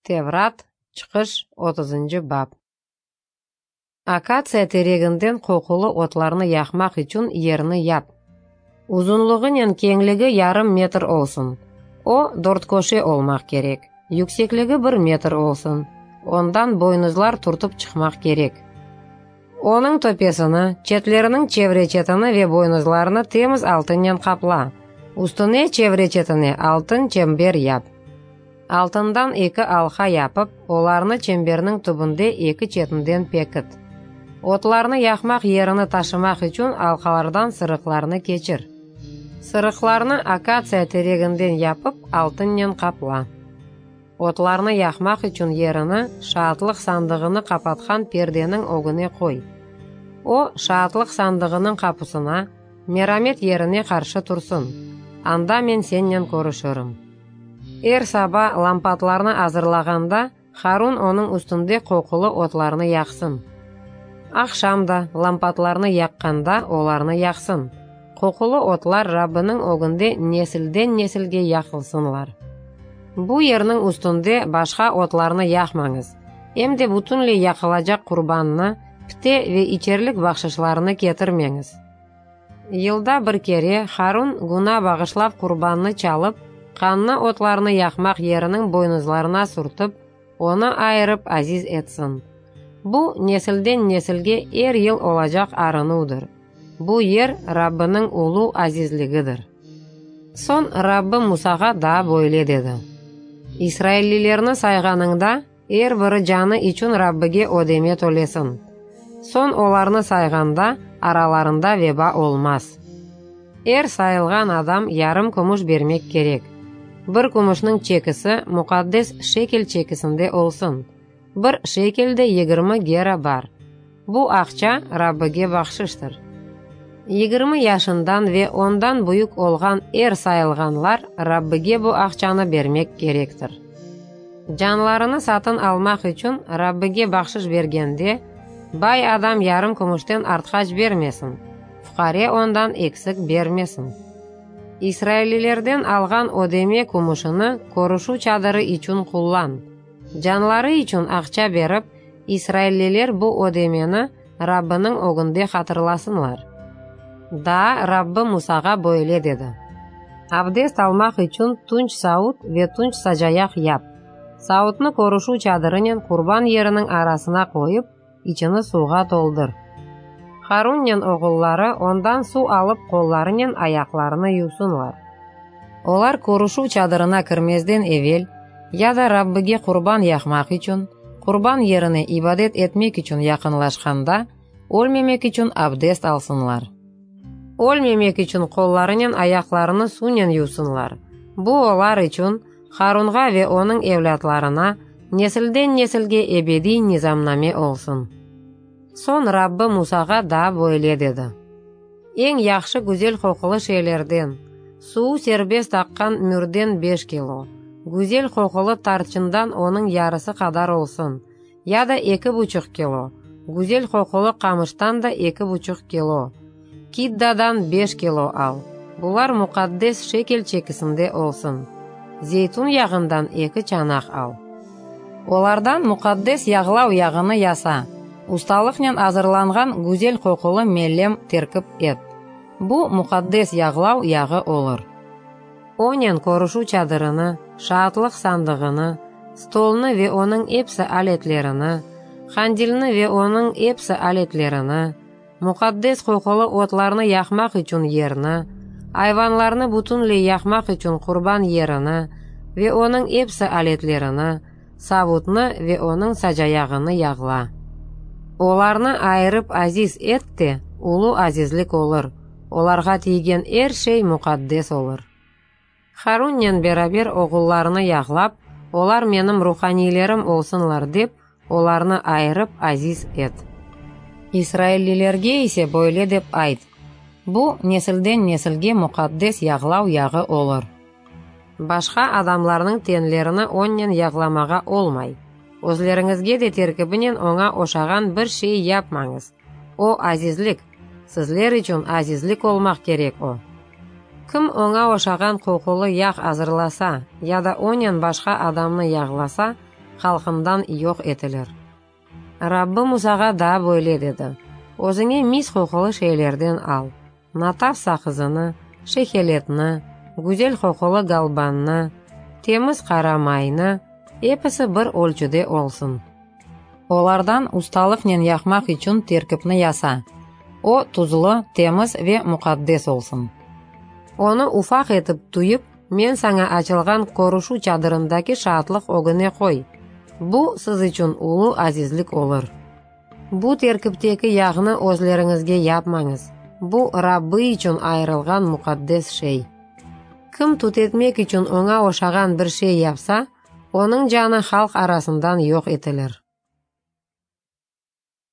Tevrat, Çıqış, otuzıncı bap. Akatsiya tereginden qoqulı otlarnı yaqmaq içün yerni yap. Uzunlığınen keñligi yarım metr olsun. O, dörtköşe olmaq kerek. Yüksekligi bir metr olsun. Ondan boynuzlar türtip çıqmaq kerek. Onıñ töpesini, çetleriniñ çevre-çetini ve boynuzlarını temiz altınnen qapla. Üstüne, çevre-çetine altın çember yap. Altından eki alqa yapıp, olarnı çemberniñ tübünde eki çetinden pekit. Otlarnı yaqmaq yerini taşımaq içün alqalardan sırıqlarnı keçir. Sırıqlarnı akatsiya tereginden yapıp, altınnen qapla. Otlarnı yaqmaq içün yerini Şaatlıq sandığını qapatqan perdeniñ ögüne qoy. O, Şaatlıq sandığınıñ qapusına, Meramet yerine qarşı tursın. Anda men sennen körüşirim. Er saba lampatlarnı azırlağanda, Harun onıñ üstünde qoqulı otlarnı yaqsın. Aqşam da, lampatlarnı yaqqanda, olarnı yaqsın. Qoqulı otlar Rabbiniñ ögünde nesilden nesilge yaqılsınlar. Bu yerniñ üstünde başqa otlarnı yaqmañız, em de bütünley yaqılacaq qurbannı, pite ve içerlik bahşışlarını ketirmeñiz. Yılda bir kere Harun güna bağışlav qurbannı çalıp, qannı otlarnı yaqmaq yeriniñ boynuzlarına sürtip, onı ayırıp aziz etsin. Bu, nesilden nesilge er yıl olacaq arınuvdır. Bu yer Rabbiniñ ulu azizligidir. Soñ Rabbi Musağa daa böyle dedi, İsraillilerni sayğanıñda, er biri canı içün Rabbige ödeme tölesin. Soñ olarnı sayğanda, aralarında veba olmaz. Er sayılğan adam yarım kümüş bermek kerek. Bir kümüşniñ çekisi muqaddes şekel çekisinde olsun. Bir şekelde 20 gera bar. Bu aqça Rabbige bahşıştır. 20 yaşından ve ondan büyük olğan er sayılğanlar Rabbige bu aqçanı bermek kerektir. Canlarını satın almaq içün Rabbige bahşış bergende, bay adam yarım kümüşten artqaç bermesin, fuqare ondan eksik bermesin. İsraillilerden alğan ödeme kümüşini körüşüv çadırı içün qullan. Canları içün aqça berip, israilliler bu ödemeni Rabbiniñ ögünde hatırlasınlar. Daa Rabbi Musağa böyle dedi, Abdest almaq içün tunç savut ve tunç sacayaq yap. Savutnı körüşüv çadırınen qurban yeriniñ arasına qoyıp, içini suvğa toldur. Harunnen oğulları ondan suv alıp qollarınen ayaqlarını yuvsunlar. Olar körüşüv çadırına kirmezden evel, ya da Rabbige qurban yaqmaq içün, qurban yerine ibadet etmek içün yaqınlaşqanda, ölmemek içün abdest alsınlar. Ölmemek içün qollarınen ayaqlarını suvnen yuvsınlar. Bu olar içün, Harunğa ve onıñ evlâtlarına, nesilden nesilge ebediy nizamname olsun. Soñ Rabbi Musağa daa böyle dedi, Eñ yahşı güzel qoqulı şeylerden, suvu serbest aqqan mürden beş kilo, güzel qoqulı tarçından onıñ yarısı qadar olsun, ya da eki buçuq kilo, güzel qoqulı qamıştan da eki buçuq kilo, kiddadan beş kilo al. Bular muqaddes şekel çekisinde olsun. Zeytun yağından eki çanaq al. Olardan muqaddes yağlav yağını yasa, ustalıqnen azırlanğan güzel qoqulı melem terkip et. Bu, muqaddes yağlav yağı olur. Onen körüşüv çadırını, şaatlıq sandığını, stolnı ve onıñ epsi aletlerini, qandilni ve onıñ epsi aletlerini, muqaddes qoqulı otlarnı yaqmaq içün yerni, ayvanlarnı bütünley yaqmaq içün qurban yerini ve onıñ epsi aletlerini, savutnı ve onıñ sacayağını yağla. Olarnı ayırıp aziz et de, ulu azizlik olur, olarğa tiygen er şey muqaddes olur. Harunnen beraber oğullarını yağlap, olar menim ruhaniylerim olsunlar dep, olarnı ayırıp aziz et. İsraillilerge ise böyle dep ayt, Bu, nesilden nesilge muqaddes yağlav yağı olur. Başqa adamlarnıñ tenlerini onnen yağlamağa olmay. Özleriñizge de terkibinen oña oşağan bir şey yapmañız. O, azizlik, sizler içün azizlik olmaq kerek o. Kim oña oşağan qoqulı yağ azırlasa ya da onen başqa adamnı yağlasa, halqından yoq etilir. Rabbi Musağa daa böyle dedi, Özüñe mis qoqulı şeylerden al, nataf saqızını, şeheletni, güzel qoqulı galbannı, temiz qara maynı, episi bir ölçüde olsun. Olardan ustalıqnen yaqmaq içün terkipni yasa. O, tuzlu, temiz ve muqaddes olsun. Onı ufaq etip tüyip, men saña açılğan körüşüv çadırındaki şaatlıq ögüne qoy. Bu, siz içün ulu azizlik olur. Bu terkipteki yağnı özleriñizge yapmañız, bu, Rabbi içün ayırılğan muqaddes şey. Kim tütetmek içün oña oşağan bir şey yapsa, onıñ canı halq arasından yoq etilir.